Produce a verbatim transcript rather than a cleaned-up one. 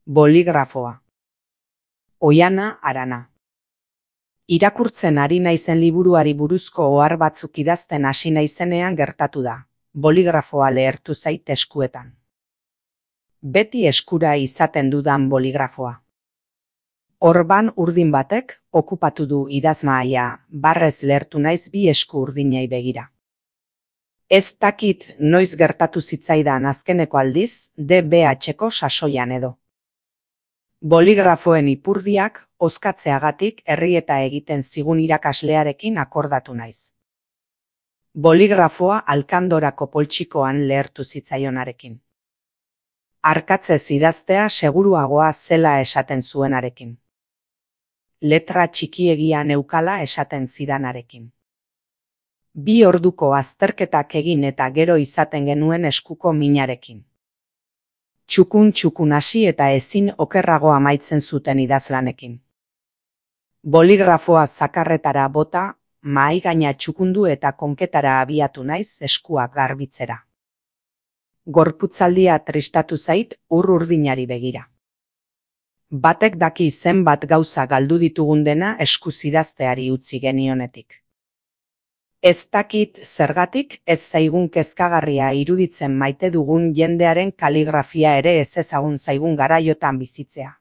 Boligrafoa. Oihana Arana. Irakurtzen ari naizen liburuari buruzko ohar batzuk idazten hasi naizenean gertatu da. Boligrafoa lehertu zait eskuetan. Beti eskura izaten dudan boligrafoa. Orban urdin batek okupatu du idazmahaia, barrez lehertu naiz bi esku urdinei begira. Ez dakit noiz gertatu zitzaidan azkeneko aldiz, D B H-ko sasoian edo. Boligrafoen ipurdiak hozkatzeagatik errieta egiten zigun irakaslearekin akordatu naiz. Boligrafoa alkandorako poltsikoan lehertu zitzaionarekin. Arkatzez idaztea seguruagoa zela esaten zuenarekin. Letra txikiegia neukala esaten zidanarekin. Bi orduko azterketak egin eta gero izaten genuen eskuko minarekin. Txukun txukun hasi eta ezin okerrago amaitzen zuten idazlanekin. Boligrafoa zakarretara bota, mahai gaina txukundu eta konketara abiatu naiz eskuak garbitzera. Gorputzaldia tristatu zait ur urdinari begira. Batek daki zenbat gauza galdu ditugun dena eskuz idazteari utzi genionetik. Ez dakit zergatik ez zaigun kezkagarria iruditzen maite dugun jendearen kaligrafia ere ez ezagun zaigun garaiotan bizitzea.